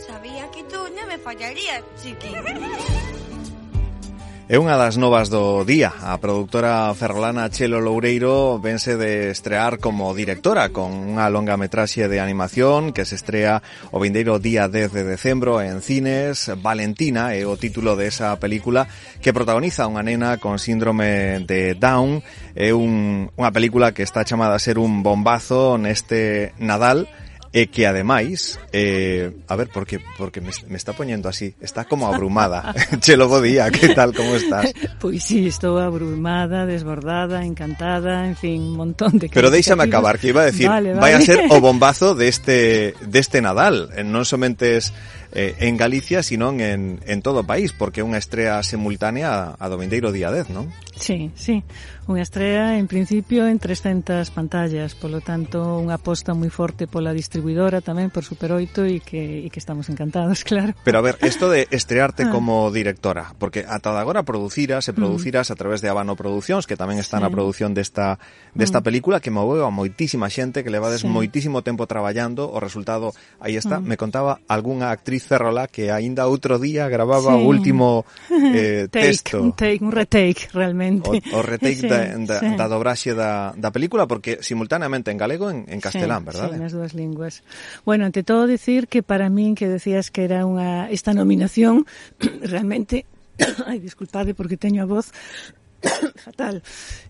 Sabía que tú non me fallarías, chiqui. É unha das novas do día. A produtora ferrolana Chelo Loureiro vense de estrear como directora con unha longa metraxe de animación que se estrea o vindeiro día 10 de decembro en cines. Valentina é o título de esa película que protagoniza unha nena con síndrome de Down. É unha película que está chamada a ser un bombazo neste Nadal e que ademais, a ver, porque me está poñendo así, está como abrumada. Chelo, bo día, que tal, como estás? Pois sí, estou abrumada, desbordada, encantada, en fin, un montón de... Pero déixame acabar, que iba a decir, vale. Vai a ser o bombazo deste Nadal, non somente en Galicia, sino en todo o país, porque é unha estrea simultánea a do vindeiro día 10, non? Sí, sí, unha estrea en principio en 300 pantallas, polo tanto unha aposta moi forte pola distribuidora tamén por Super 8 e que estamos encantados, claro. Pero a ver, esto de estrearte como directora, porque ata agora produciras a través de Habano Producións, que tamén está na produción desta película, que moveu a moitísima xente, que levades moitísimo tempo traballando, o resultado aí está. Me contaba algunha actriz ferrola que aínda outro día gravaba o último texto. Un retake, realmente. O retake da dobraxe da película, porque simultáneamente en galego e en castelán, verdade? Sí, nas dúas linguas. Bueno, ante todo decir que para min, que decías que era esta nominación, realmente, ai, disculpade porque teño a voz fatal.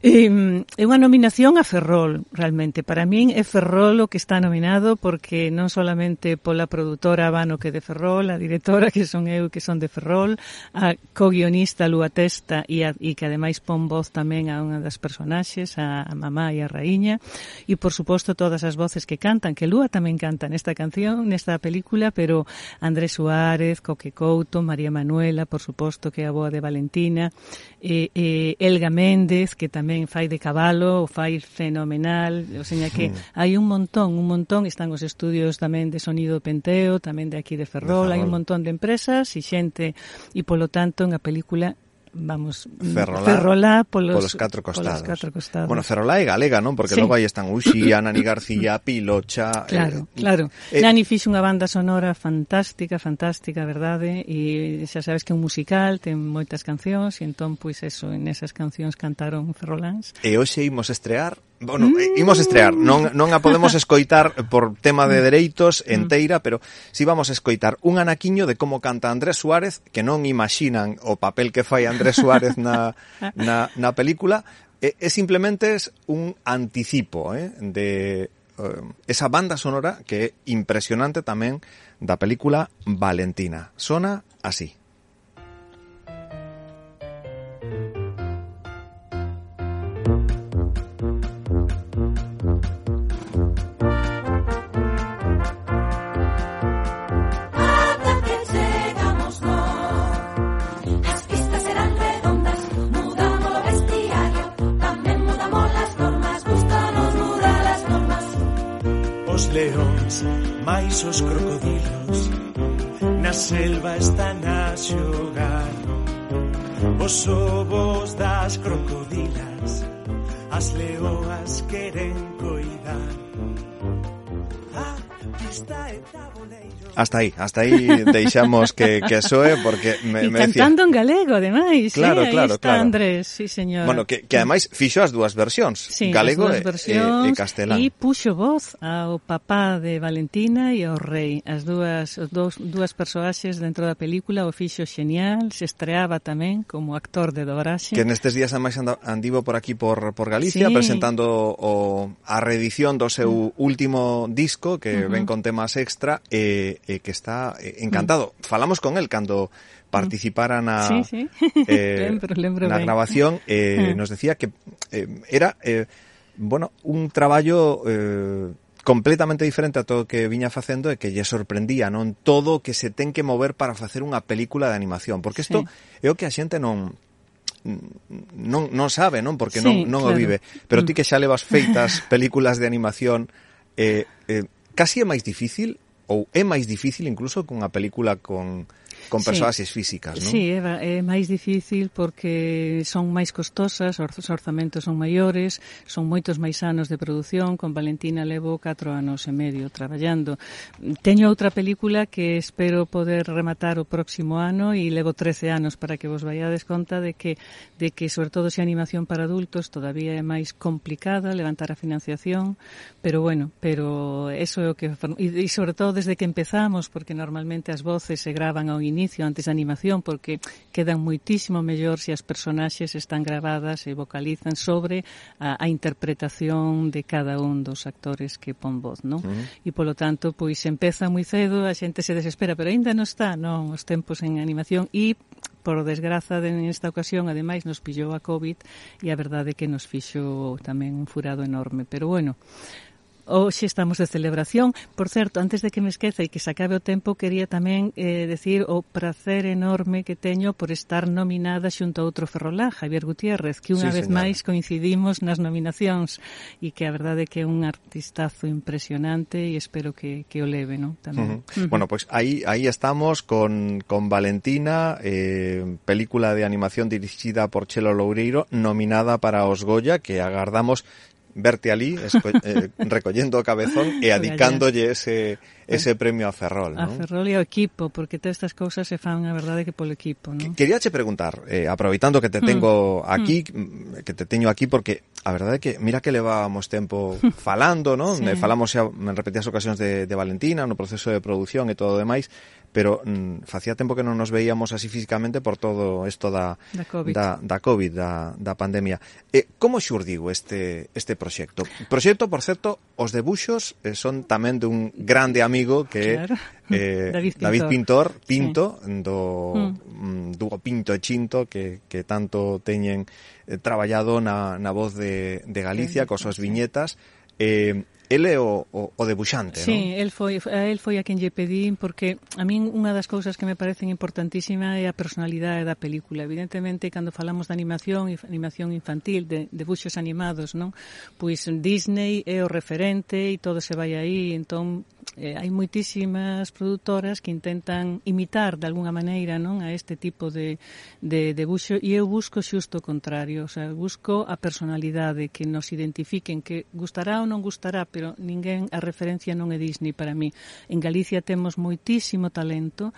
É unha nominación a Ferrol, realmente. Para min é Ferrol o que está nominado, porque non solamente pola produtora Habano, que é de Ferrol, a directora, que son eu, que son de Ferrol, a co-guionista Lúa Testa e que ademais pon voz tamén a unha das personaxes, a mamá e a raíña, e por suposto todas as voces que cantan, que Lúa tamén canta nesta canción, nesta película, pero Andrés Suárez, Coque Couto, María Manuela, por suposto, que é a boa de Valentina, Elga Méndez, que tamén fai de cabalo, o fai fenomenal, o seña que hai un montón, están os estudios tamén de Sonido Penteo, tamén de aquí de Ferrol, hai un montón de empresas e xente, e polo tanto unha película, vamos, Ferrolá polos catro costados. Bueno, Ferrolá é galega, non? Porque logo aí están Uxía, Nani García, Pilocha... Claro. Nani fixo unha banda sonora fantástica, verdade? E xa sabes que é un musical, ten moitas cancións, e entón, pois eso, en esas cancións cantaron ferroláns. E hoxe imos estrear... Bueno, imos estrear, non a podemos escoitar por tema de dereitos enteira, pero si vamos a escoitar un anaquiño de como canta Andrés Suárez, que non imaxinan o papel que fai Andrés Suárez na película, é simplemente un anticipo de esa banda sonora que é impresionante tamén da película Valentina. Sona así. Leóns, máis os crocodilos, na selva están a xogar. Os ovos das crocodilas, as leoas queren coidar. Hasta aí deixamos que soe, porque me decía... cantando en galego, ademais. Claro. Andrés, sí, señor. Bueno, que ademais fixo as dúas versións, galego e castelán. E puxo voz ao papá de Valentina e ao rei. As dúas persoaxes dentro da película o fixo xenial, se estreaba tamén como actor de dobraxe. Que nestes días ademais andivo por aquí por Galicia, presentando a reedición do seu último disco, que ven con temas extra, que está encantado. Falamos con él cando participara na grabación, nos decía que era un traballo completamente diferente a todo o que viña facendo e que lle sorprendía, non, todo o que se ten que mover para facer unha película de animación, porque isto é o que a xente non sabe, non, porque non o vive, pero ti que xa levas feitas películas de animación, casi é máis difícil, ou é máis difícil incluso que unha película con con persoaxes físicas, non? Sí, é máis difícil porque son máis costosas, os orzamentos son maiores, son moitos máis anos de produción. Con Valentina levo 4 anos e medio traballando. Teño outra película que espero poder rematar o próximo ano e levo 13 anos para que vos vaiades conta de que sobre todo se animación para adultos todavía é máis complicada levantar a financiación, pero eso é o que e sobre todo desde que empezamos, porque normalmente as voces se gravan ao inicio antes da animación, porque quedan moitísimo mellor se as personaxes están gravadas e vocalizan sobre a interpretación de cada un dos actores que pon voz, non? E polo tanto, pois empeza moi cedo, a xente se desespera, pero aínda non está, non, os tempos en animación e por desgraza nesta ocasión, ademais, nos pillou a COVID e a verdade é que nos fixo tamén un furado enorme, pero bueno, hoxe estamos de celebración. Por certo, antes de que me esqueza e que se acabe o tempo, quería tamén decir o prazer enorme que teño por estar nominada xunto a outro ferrolán, Javier Gutiérrez, que unha vez máis coincidimos nas nominacións e que a verdade é que é un artistazo impresionante e espero que o leve, non? Tamén. Bueno, pois aí estamos con Valentina, película de animación dirixida por Chelo Loureiro, nominada para os Goya, que agardamos verte ali recollendo o cabezón e adicándolle ese premio a Ferrol, non? A Ferrol e ao equipo, porque todas estas cousas se fan, a verdade, que polo equipo, non? Queríache preguntar, aproveitando que te tengo aquí, que te teño aquí, porque a verdade é que mira que levábamos tempo falando, non? Sí. Falamos xa en repetidas ocasións de Valentina, no proceso de produción e todo o demais, pero facía tempo que non nos veíamos así físicamente por todo isto da COVID, da pandemia. Como xurdiu este proxecto? Proxecto, por certo, os debuxos son tamén dun grande amigo que é David Pintor, Pinto, sí. do Pinto e Chinto, que tanto teñen traballado na voz de Galicia, cos súas viñetas. Ele é o debuxante, non? Sí, el foi a quen lle pedín, porque a min unha das cousas que me parecen importantísima é a personalidade da película. Evidentemente, cando falamos de animación infantil, de debuxos animados, non? Pois Disney é o referente e todo se vai aí, entón hai moitísimas produtoras que intentan imitar de alguna maneira, non, a este tipo de debuxo, e eu busco xusto o contrario, o sea, busco a personalidade, que nos identifiquen, que gustará ou non gustará, pero ninguén, a referencia non é Disney para mí. En Galicia temos moitísimo talento,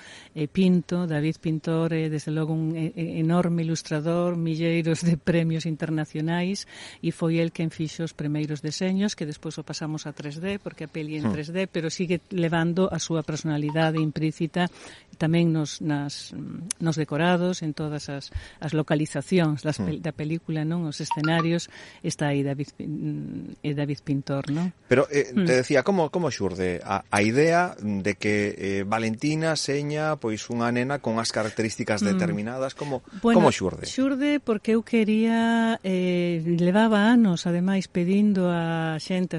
Pinto, David Pintor, desde logo un enorme ilustrador, milleiros de premios internacionais, e foi el quen fixo os primeiros deseños, que despois o pasamos a 3D, porque a peli en 3D, pero sigue levando a súa personalidade implícita tamén nos decorados, en todas as localizacións da película, non, os escenarios, está aí David Pintor, non? Pero te decía, como xurde a idea de que Valentina seña pois unha nena con as características determinadas, como xurde? Xurde porque eu quería, levaba anos, ademais, pedindo a xente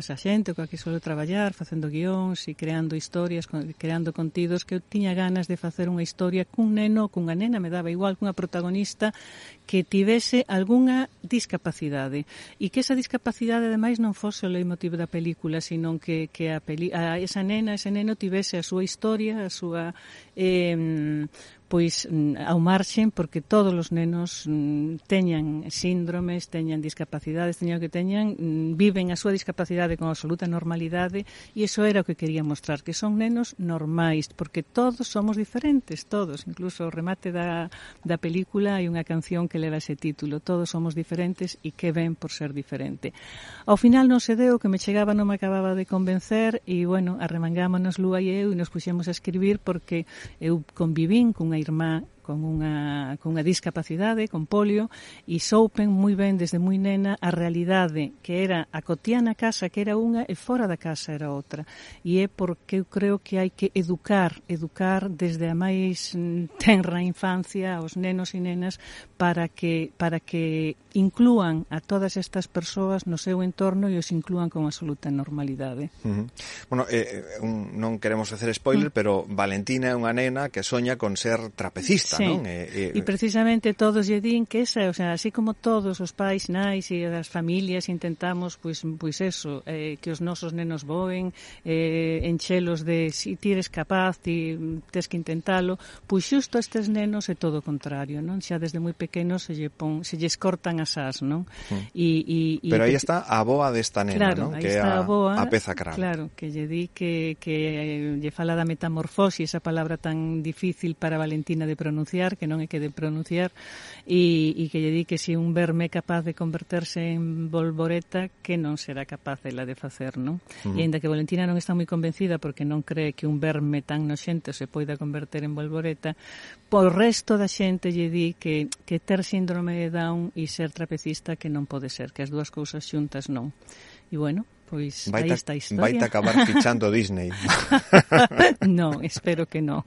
coa que suelo traballar, facendo guións e creando historias, creando contidos, que eu tiña ganas de facer unha historia cun neno, cunha nena, me daba igual, cunha protagonista que tivese algunha discapacidade, e que esa discapacidade ademais non fose o leitmotiv da película, sino que esa nena, ese neno tivese a súa historia, a súa pois ao marxen, porque todos os nenos teñan síndromes, teñan discapacidades, teñan o que teñan, viven a súa discapacidade con absoluta normalidade, e iso era o que quería mostrar, que son nenos normais, porque todos somos diferentes, todos, incluso o remate da película hai unha canción que leva ese título, todos somos diferentes e que ven por ser diferente. Ao final non se deu, que me chegaba non me acababa de convencer, e bueno, arremangámonos Lúa e eu e nos puxemos a escribir, porque eu convivín cunha irmá con unha discapacidade, con polio, e soupen moi ben desde moi nena a realidade que era a cotiá na casa, que era unha, e fora da casa era outra. E é porque eu creo que hai que educar desde a máis tenra infancia aos nenos e nenas para que inclúan a todas estas persoas no seu entorno e os inclúan con absoluta normalidade. Bueno, non queremos facer spoiler, pero Valentina é unha nena que soña con ser trapecista. gusta, sí. non? E precisamente todos lle din que esa, o sea, así como todos os pais, nais e as familias intentamos, pois eso, que os nosos nenos voen, enchelos de si ti eres capaz, ti tes que intentalo, pois xusto a estes nenos é todo o contrario, non? Xa desde moi pequenos se lles cortan as ás, non? Pero aí está a boa desta nena, claro, non? Que é a peza cral. Claro, que lle di que lle fala da metamorfosis, esa palabra tan difícil para Valentina de pronunciar, que non é que de pronunciar, e que lle di que se un verme é capaz de converterse en bolboreta, que non será capaz ela de facer, non? E ainda que Valentina non está moi convencida porque non cree que un verme tan noxento se poida converter en bolboreta, por resto da xente lle di que ter síndrome de Down e ser trapecista que non pode ser, que as dúas cousas xuntas non. E bueno, pois aí está a historia. Vaite acabar fichando Disney. Non, espero que non.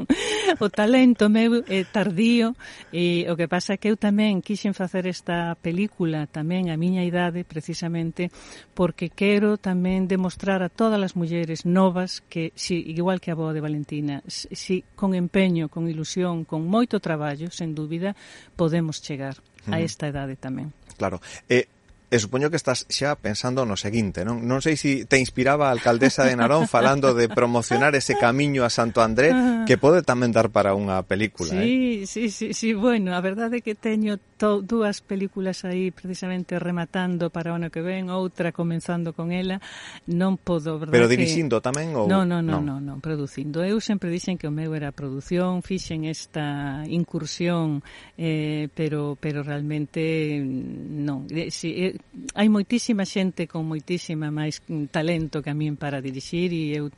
O talento meu é tardío e o que pasa é que eu tamén quixen facer esta película tamén a miña idade precisamente porque quero tamén demostrar a todas as mulleres novas que, si, igual que a boa de Valentina, si con empeño, con ilusión, con moito traballo, sen dúbida, podemos chegar a esta idade tamén. Claro. E supoño que estás xa pensando no seguinte, non? Non sei se te inspiraba a alcaldesa de Narón falando de promocionar ese camiño a Santo André, que pode tamén dar para unha película, Sí, bueno, a verdade é que teño dúas películas aí precisamente rematando para o ano que ven, outra comenzando con ela, non podo, verdade? Pero dirixindo tamén ou Non, producindo. Eu sempre dixen que o meu era a produción, fixen esta incursión, pero realmente non. Hai moitísima xente con moitísima máis talento que a min para dirixir e eu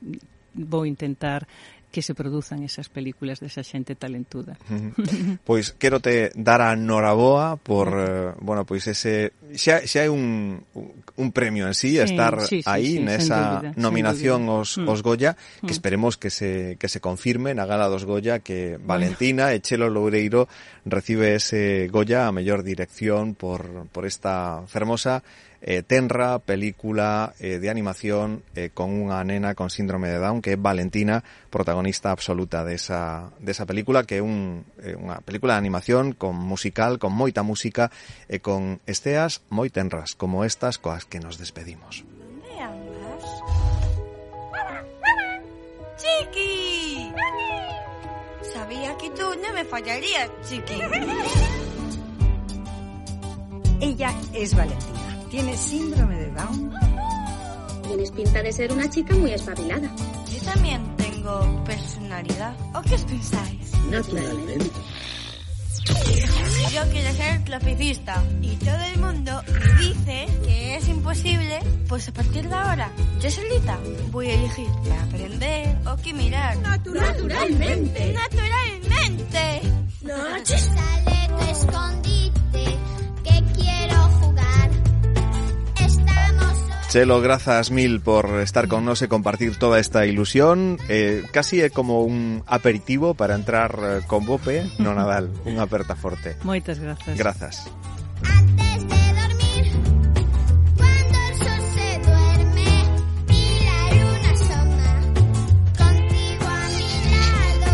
vou intentar que se produzan esas películas desa xente talentuda. Pois quero te dar a noraboa por, pois ese xa é un premio en sí estar aí nesa nominación aos Goya, que esperemos que se confirme na gala dos Goya que Valentina e Chelo Loureiro recibe ese Goya a mellor dirección por esta fermosa tenra película de animación con unha nena con síndrome de Down, que é Valentina, protagonista absoluta desa película, que é unha película de animación con musical, con moita música e con esteas moi tenras como estas coas que nos despedimos. ¿Dónde andas? ¡Chiqui! Sabía que tú no me fallarías, Chiqui. Ella es Valentina. ¿Tienes síndrome de Down? Tienes pinta de ser una chica muy espabilada. Yo también tengo personalidad. ¿O qué os pensáis? Naturalmente. Yo quiero ser trapecista y todo el mundo me dice que es imposible. Pues a partir de ahora, yo solita voy a elegir qué aprender o qué mirar. Naturalmente. ¡Naturalmente! Noche. Sale tu escondite, que quiero jugar. Chelo, grazas mil por estar con nos e compartir toda esta ilusión. Casi é como un aperitivo para entrar con bope no Nadal. Unha aperta forte. Moitas grazas. Grazas. Antes de dormir, cuando el sol se duerme y la luna asoma, contigo a mi lado,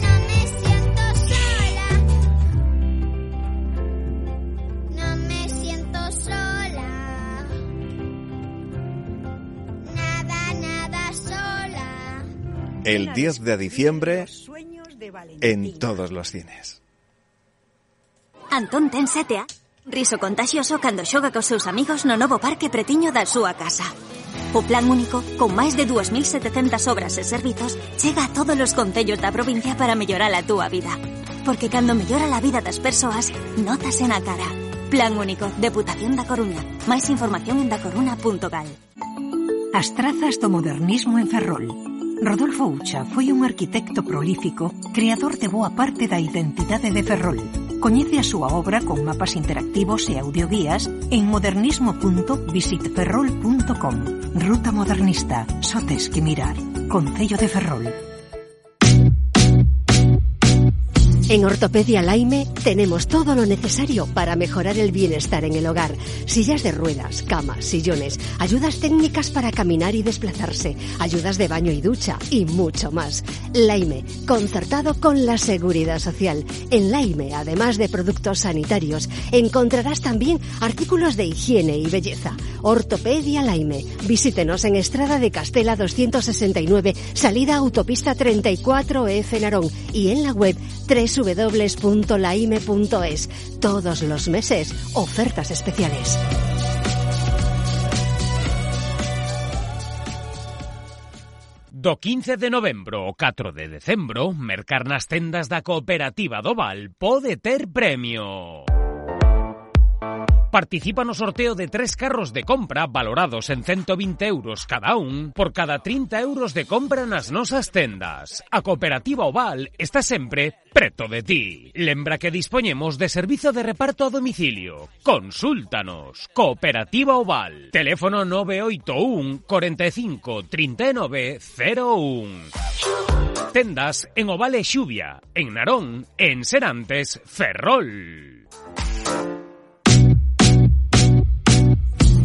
no me siento sola. No me siento sola. Nada sola. El 10 de diciembre en todos los cines. Antón ten 7 anos. Riso contagioso cando xoga cos seus amigos no novo parque pretiño da súa casa. O plan único, con máis de 2.700 obras e servizos, chega a todos os concellos da provincia para mellorar a túa vida. Porque cando mellora a vida das persoas, notase na cara. Plan único, Deputación da Coruña. Máis información en dacoruna.gal. As trazas do modernismo en Ferrol. Rodolfo Ucha foi un arquitecto prolífico, creador de boa parte da identidade de Ferrol. Coñece a súa obra con mapas interactivos e audioguías en modernismo.visitferrol.com. Ruta modernista, só tes que mirar. Concello de Ferrol. En Ortopedia Laime tenemos todo lo necesario para mejorar el bienestar en el hogar. Sillas de ruedas, camas, sillones, ayudas técnicas para caminar y desplazarse, ayudas de baño y ducha y mucho más. Laime, concertado con la Seguridad Social. En Laime, además de productos sanitarios, encontrarás también artículos de higiene y belleza. Ortopedia Laime. Visítenos en Estrada de Castela 269, salida autopista 34F Narón, y en la web www.laime.es. Todos los meses, ofertas especiales. Do 15 de novembro ao 4 de decembro, mercar nas tendas da Cooperativa do Val pode ter premio. Participa no sorteo de 3 carros de compra valorados en 120 euros cada un por cada 30 euros de compra nas nosas tendas. A Cooperativa Oval está sempre preto de ti. Lembra que dispoñemos de servizo de reparto a domicilio. Consúltanos. Cooperativa Oval. Teléfono 981 45 39 01. Tendas en Oval e Xuvia, en Narón, en Serantes, Ferrol.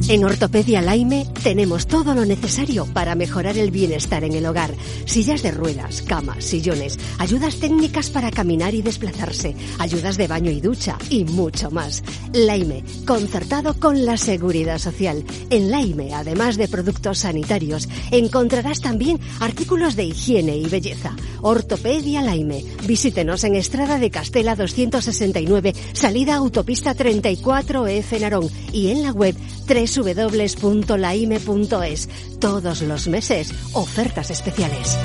En Ortopedia Laime tenemos todo lo necesario para mejorar el bienestar en el hogar. Sillas de ruedas, camas, sillones, ayudas técnicas para caminar y desplazarse, ayudas de baño y ducha y mucho más. Laime, concertado con la Seguridad Social. En Laime, además de productos sanitarios, encontrarás también artículos de higiene y belleza. Ortopedia Laime. Visítenos en Estrada de Castela 269, salida autopista 34F Narón, y en la web www.laime.es. Todos los meses, ofertas especiales.